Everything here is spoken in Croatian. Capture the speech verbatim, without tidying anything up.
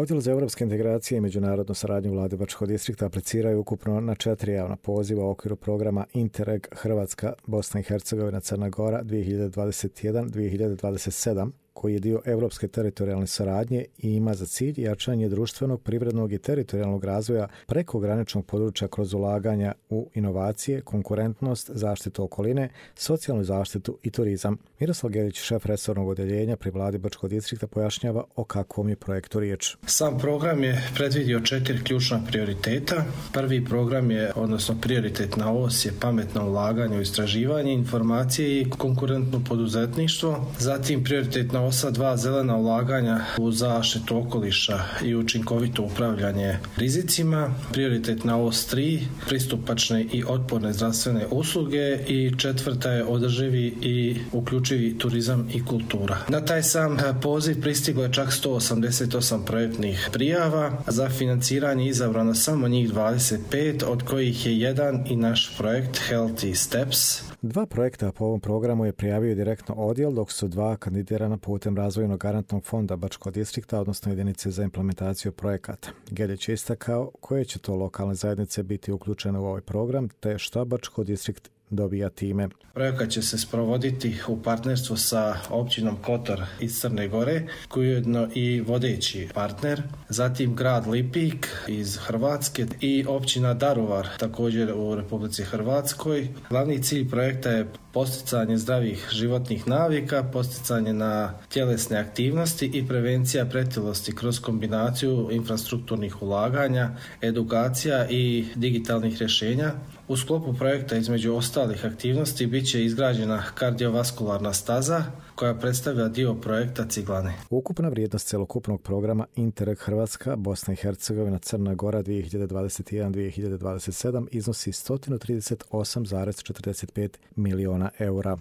Odjel za europske integracije i međunarodnu saradnju vlade Bačkog distrikta apliciraju ukupno na četiri javna poziva u okviru programa Interreg Hrvatska, Bosna i Hercegovina, Crna Gora dvije hiljade dvadeset jedan do dvije hiljade dvadeset sedam, koji je dio europske teritorijalne saradnje i ima za cilj jačanje društvenog, privrednog i teritorijalnog razvoja prekograničnog područja kroz ulaganja u inovacije, konkurentnost, zaštitu okoline, socijalnu zaštitu i turizam. Miroslav Gelić, šef resornog odeljenja pri vladi Bačkog distrikta, pojašnjava o kakvom je projektu riječ. Sam program je predvidio četiri ključna prioriteta. Prvi program je, odnosno prioritetna os je pametno ulaganje u istraživanje, informacije i konkurentno poduzetništvo. Zatim prioritetna osa dva, zelena ulaganja u zaštitu okoliša i učinkovito upravljanje rizicima. Prioritetna os tri, pristupačne i otporne zdravstvene usluge i četvrta je održivi i uključivi turizam i kultura. Na taj sam poziv pristiglo je čak sto osamdeset osam projektnih prijava. Za financiranje izabrano samo njih dvadeset pet, od kojih je jedan i naš projekt Healthy Steps. Dva projekta po ovom programu je prijavio direktno odjel, dok su dva kandidirana putem razvojnog garantnog fonda Bačkog distrikta, odnosno jedinice za implementaciju projekata. Gelić je istakao koje će to lokalne zajednice biti uključene u ovaj program, te šta Bačkog distrikt dobija time. Projekat će se sprovoditi u partnerstvu sa općinom Kotor iz Crne Gore, koji je ujedno i vodeći partner, zatim grad Lipik iz Hrvatske i općina Daruvar, također u Republici Hrvatskoj. Glavni cilj projekta je posticanje zdravih životnih navika, posticanje na tjelesne aktivnosti i prevencija pretilosti kroz kombinaciju infrastrukturnih ulaganja, edukacija i digitalnih rješenja. U sklopu projekta između ostalih aktivnosti bit će izgrađena kardiovaskularna staza koja predstavlja dio projekta Ciglane. Ukupna vrijednost celokupnog programa Interreg Hrvatska, Bosna i Hercegovina, Crna Gora dvije hiljade dvadeset jedan do dvije hiljade dvadeset sedam iznosi sto trideset osam zarez četrdeset pet miliona eura.